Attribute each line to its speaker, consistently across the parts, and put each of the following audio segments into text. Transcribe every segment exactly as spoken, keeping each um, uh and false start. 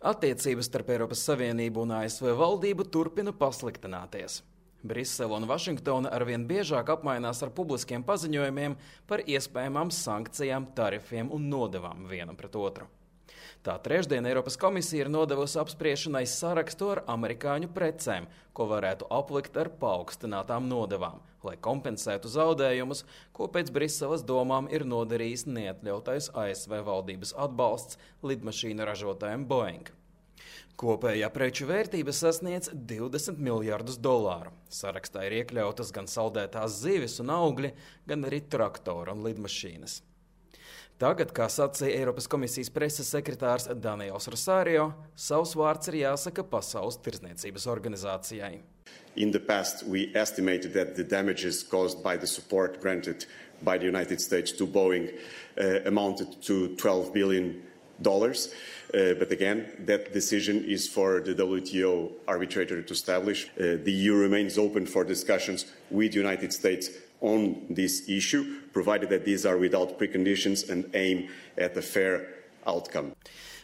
Speaker 1: Attiecības starp Eiropas Savienību un A S V valdību turpina pasliktināties. Brisele un Vašingtona arvien biežāk apmainās ar publiskiem paziņojumiem par iespējamām sankcijām, tarifiem un nodevām vienam pret otru. Tā trešdien Eiropas komisija ir nodevusi apspriešanai sarakstu ar amerikāņu precēm, ko varētu aplikt ar paaugstinātām nodevām, lai kompensētu zaudējumus, ko pēc Briseles domām ir nodarījis neatļautais A S V valdības atbalsts lidmašīnu ražotājiem Boeing. Kopējā preču vērtība sasniedz divdesmit miljardus dolāru. Sarakstā ir iekļautas gan saldētās zivis un augļi, gan arī traktori un lidmašīnas. Tagad, kā sacīja Eiropas komisijas preses sekretārs Daniels Rosario, savs vārds ir jāsaka Pasaules tirdzniecības organizācijai.
Speaker 2: In the past, we estimated that the damages caused by the support granted by the United States to Boeing uh, amounted to twelve billion dollars. Uh, but again, that decision is for the W T O arbitrator to establish. Uh, the E U remains open for discussions with the United States on this issue, provided that these are without preconditions and aim at a fair outcome.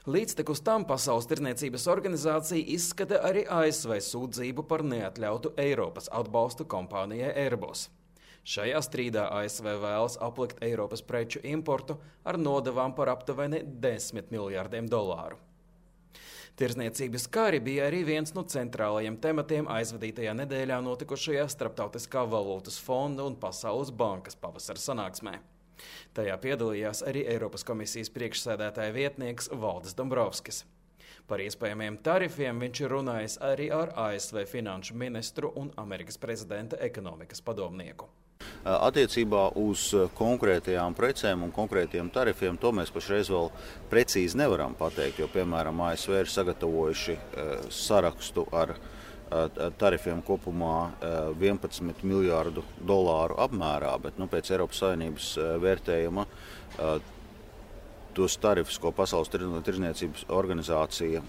Speaker 1: Līdztekus tam Pasaules tirdzniecības organizācija izskata arī A S V sūdzību par neatļautu Eiropas atbalstu kompānijai Airbus. Šajā strīdā A S V vēlas aplikt Eiropas preču importu ar nodevām par aptuveni desmit miljardiem dolāru. Tirdzniecības kari bija arī viens no centrālajiem tematiem aizvadītajā nedēļā notikušajā Starptautiskā valūtas fonda un Pasaules bankas pavasara sanāksmē. Tajā piedalījās arī Eiropas komisijas priekšsēdētāja vietnieks Valdis Dombrovskis. Par iespējamiem tarifiem viņš ir runājis arī ar A S V finanšu ministru un Amerikas prezidenta ekonomikas padomnieku.
Speaker 3: Attiecībā uz konkrētajām precēm un konkrētiem tarifiem to mēs pašreiz vēl precīzi nevaram pateikt, jo, piemēram, A S V ir sagatavojuši sarakstu ar tarifiem kopumā vienpadsmit miljārdu dolāru apmērā, bet nu, pēc Eiropas Savienības vērtējuma tos tarifus, ko Pasaules tirdzniecības organizācija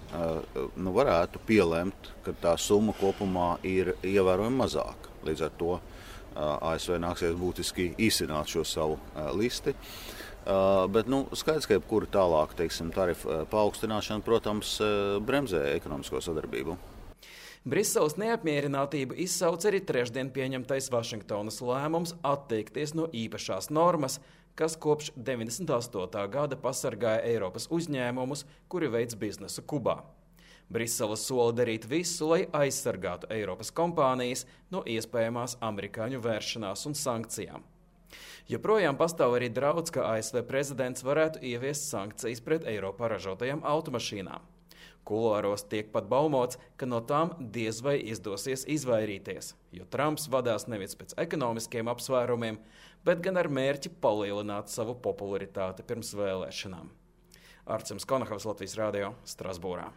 Speaker 3: nu, varētu pielemt, ka tā summa kopumā ir ievērojami mazāka. Līdz ar to A S V nāksies būtiski īsināt šo savu listi. Bet nu, skaidrs, ka jebkura tālāk, teiksim, tarifu paaugstināšana, protams, bremzē ekonomisko sadarbību.
Speaker 1: Briseles neapmierinātību izsauc arī trešdien pieņemtais Vašingtonas lēmums atteikties no īpašās normas, kas kopš deviņdesmit astotā gada pasargāja Eiropas uzņēmumus, kuri veic biznesu Kubā. Brisele sola darīt visu, lai aizsargātu Eiropas kompānijas no iespējamās amerikāņu vēršanās un sankcijām. Joprojām pastāv arī draudz, ka A S V prezidents varētu ieviest sankcijas pret Eiropā ražotajām automašīnām. Kuloāros tiek pat baumots, ka no tām diez vai izdosies izvairīties, jo Trumps vadās nevis pēc ekonomiskiem apsvērumiem, bet gan ar mērķi palielināt savu popularitāti pirms vēlēšanām. Arcims Konahavs, Latvijas radio, Strasbūrā.